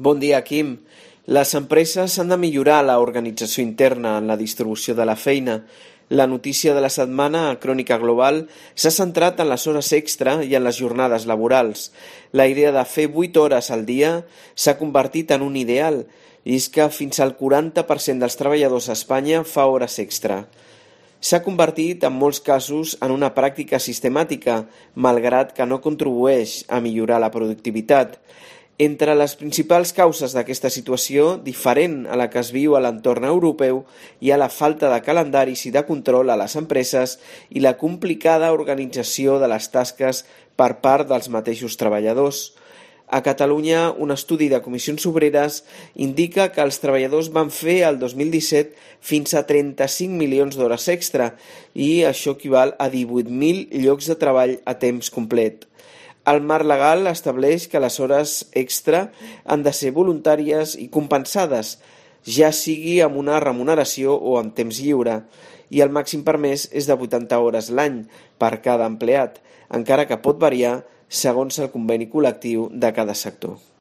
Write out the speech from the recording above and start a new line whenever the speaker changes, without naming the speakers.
Bon dia, Quim. Les empreses han de millorar l'organització interna en la distribució de la feina. La notícia de la setmana a Crònica Global s'ha centrat en les hores extra i en les jornades laborals. La idea de fer 8 hores al dia s'ha convertit en un ideal, i és que fins al 40% dels treballadors a Espanya fa hores extra. S'ha convertit en molts casos en una pràctica sistemàtica, malgrat que no contribueix a millorar la productivitat. Entre les principals causes d'aquesta situació, diferent a la que es viu a l'entorn europeu, hi ha la falta de calendaris i de control a les empreses i la complicada organització de les tasques per part dels mateixos treballadors. A Catalunya, un estudi de Comissions Obreres indica que els treballadors van fer el 2017 fins a 35 milions d'hores extra i això equival a 18.000 llocs de treball a temps complet. El marc legal estableix que les hores extra han de ser voluntàries i compensades, ja sigui amb una remuneració o amb temps lliure, i el màxim permès és de 80 hores l'any per cada empleat, encara que pot variar segons el conveni col·lectiu de cada sector.